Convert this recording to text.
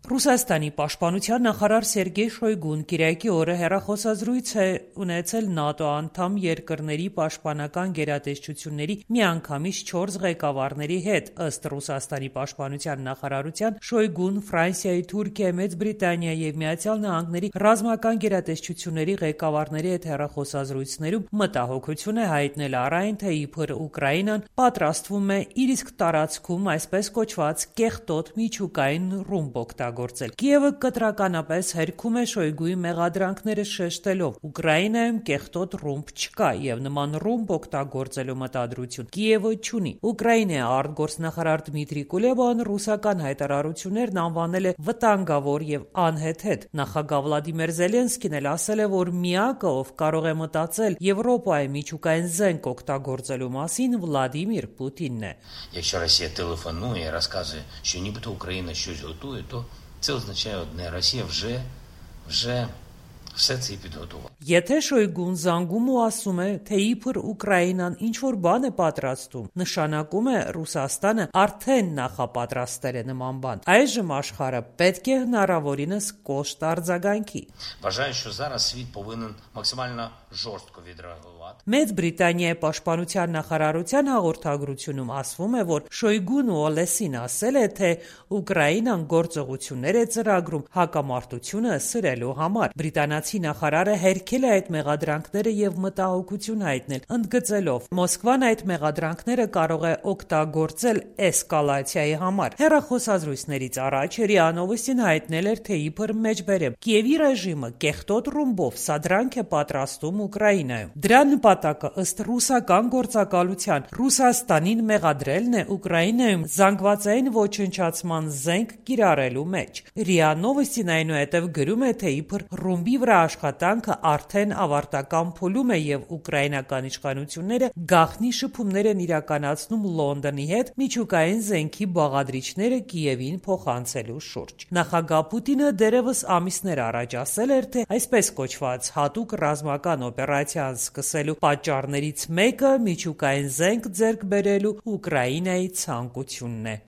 Ռուսաստանի պաշտպանության նախարար Սերգեյ Շոյգուն կիրակի օրը հեռախոսազրույց է ունեցել ՆԱՏՕ անդամ երկրների պաշտպանական գերատեսչությունների միանգամից 4 ղեկավարների հետ։ Ըստ Ռուսաստանի պաշտպանության նախարարության, Շոյգուն Ֆրանսիայի, Թուրքիայի, Մեծ Բրիտանիայի եւ Միացյալ Նահանգների ռազմական գերատեսչությունների ղեկավարների հետ հեռախոսազրույցներում մտահոգություն է հայտնել առ այն, թե իբր Ուկրաինան պատրաստվում է իր իսկ տարածքում այսպես կոչված կեղտոտ միջուկային ռումբ օգտագործել։ Կիևը կտրականապես հերքում է Շոյգուի մեղադրանքները շեշտելով. Ուկրաինայում կեղտոտ ռումբ չկա եւ նման ռումբ օգտագործելու մտադրություն Կիևը չունի։ Ուկրաինայի արտգործնախարար Դմիտրի Կուլեբան ռուսական հայտարարություններն անվանել է վտանգավոր եւ անհեթեթ։ Նախագահ Վլադիմիր Զելենսկին էլ ասել է, որ միակը, ով կարող է մտածել Եվրոպայի միջուկային զենք օգտագործելու մասին, Վլադիմիր Պուտինն է։ Якщо Росія телефонує і розказує, що нібито Україна щось готує, то це означає одне: Росія вже все це підготувала. Եթե Շոյգուն զանգում ու ասում է, թե իբր Ուկրաինան ինչ-որ բան է պատրաստում, նշանակում է Ռուսաստանը արդեն նախապատրաստել է նման բան։ Այժմ աշխարհը պետք է հնարավորինս կոշտ արձագանքի։ Вважаю, що зараз світ повинен максимально жорстко відреагувати. Մեծ Բրիտանիայի պաշտպանության նախարարության հաղորդագրությունում ասվում է, որ Շոյգուն ու Օլեսին ասել է, թե Ուկրաինան գործողություններ է ծրագրում հակամարտությունը սրելու համար։ Բրիտանացի նախարարը հերքել է այդ մեղադրանքները եւ մտահոգություն հայտնել, ընդգծելով. Մոսկվան այդ մեղադրանքները կարող է օգտագործել էսկալացիայի համար։ Հեռախոսազրույցներից առաջ ՌԻԱ Նովոստին հայտնել էր, թե իբր մեջբերեմ Կիևի ռեժիմը կեղտոտ ռումբով սադրանք է պատրաստում Ուկրաինայում։ Դրա նպատակը ըստ ռուսական գործակալության Ռուսաստանին մեղադրելն է Ուկրաինայում զանգվածային ոչնչացման զենք կիրառելու մեջ։ ՌԻԱ Նովոստին այնուհետև գրում է, թե իբր ռումբի վրա աշխատանքը արդեն ավարտական փուլում է եւ ուկրաինական իշխանությունները գաղտնի շփումներ են իրականացնում Լոնդոնի հետ միջուկային զենքի բաղադրիչները Կիևին փոխանցելու շուրջ։ Նախագահ Պուտինը դերևս ամիսներ առաջ ասել էր, թե այսպես կոչված հատուկ ռազմական օպերացիան սկսելու պատճառներից մեկը միջուկային զենք ձեռք բերելու Ուկրաինայի ցանկությունն է։